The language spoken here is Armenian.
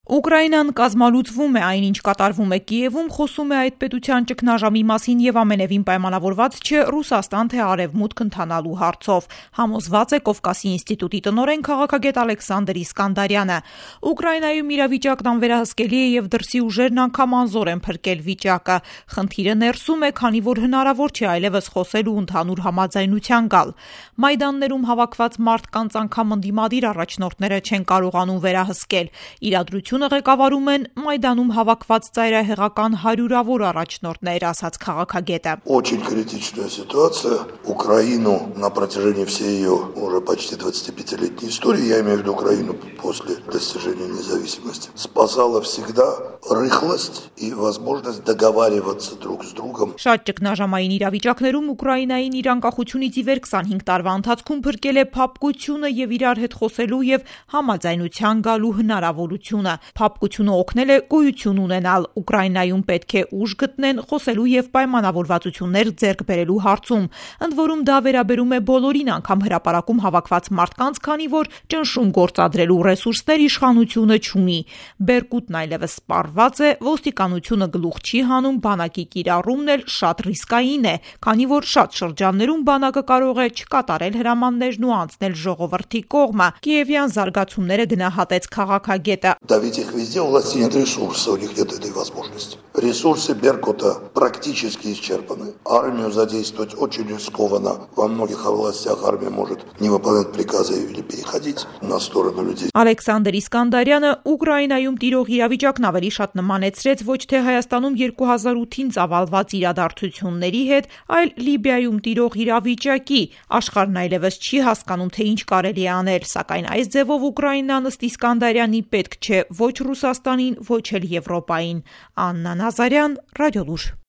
Ուկրաինան կազմալուծվում է, այնինչ կատարվում է Կիևում, խոսում է այդ պետության ճգնաժամի մասին եւ ամենևին պայմանավորված չէ Ռուսաստան թե Արևմուտք ընթանալու հարցով, համոզված է Կովկասի ինստիտուտի տնօրեն քաղաքագետ Ալեքսանդր Իսկանդարյանը։ Ուկրաինայում իրավիճակն անվերահսկելի է եւ դրսի ուժերն անգամ անզոր են փրկել վիճակը։ Խնդիրը ներսում է, քանի որ հնարավոր չէ այլևս խոսել ու ընդհանուր համաձայնության գալ։ Մայդաններում հավաքված մարդկանց անգամ ընդդիմադիր առաջնորդները չեն կարողանում վերահսկել։ Իրադրությունը ղեկավարում են Մայդանում հավաքված ծայրահեղական հարյուրավոր առաջնորդներ, ասաց քաղաքագետը։ Очень критичная ситуация. Украину на протяжении всей ее уже почти 25-летней истории, я имею в виду Украину после достижения независимости, спасала всегда рыхлость и возможность договариваться друг с другом. Շատ ճգնաժամային իրավիճակներում Ուկրաինային իր անկախությունից ի վեր 25 տարվա ընթացքում փրկել է փափկությունը եւ իրար հետ խոսելու եւ համաձայնության գալու հնարավորությունը։ Փափկությունը օգնել է գոյություն ունենալ։ Ուկրաինայում պետք է ուժ գտնեն խոսելու եւ պայմանավորվածություններ ձեռք բերելու հարցում։ Ընդ որում դա վերաբերում է բոլորին, անգամ հրապարակում հավաքված մարդկանց, քանի որ ճնշում գործադրելու ռեսուրսներ իշխանությունը չունի։ Բերկուտն այլևս սպառված է, ոստիկանությունը գլուխ չի հանում, բանակի կիրառումն էլ շատ ռիսկային է, քանի որ շատ շրջաններում բանակը կարող է չկատարել հրամաններն ու անցնել ժողովրդի կողմը։ Կիևյան զարգացումները գնահատեց քաղաքագետը։ Давить их везде, у власти нет ресурса, у них нет этой возможности. Ресурсы Беркута практически исчерпаны. Армию задействовать очень рискованно. Во многих областях армия может не выполнять приказы или переходить на сторону людей. Ալեքսանդր Իսկանդարյանը Ուկրաինայում տիրող իրավիճակն ավելի շատ նմանեցրեց ոչ թե Հայաստանում 2008-ին ծավալված իրադարձությունների հետ, այլ Լիբիայում տիրող իրավիճակի։ Աշխարհն այլևս չի հասկանում, թե ինչ կարելի է անել, սակայն այս ձևով Ուկրաինան ըստ Իսկանդարյանի պետք չէ ոչ Ռուսաստանին, ոչ էլ Եվրոպային։ Աննա Նազարյան, Ռադիոլուր։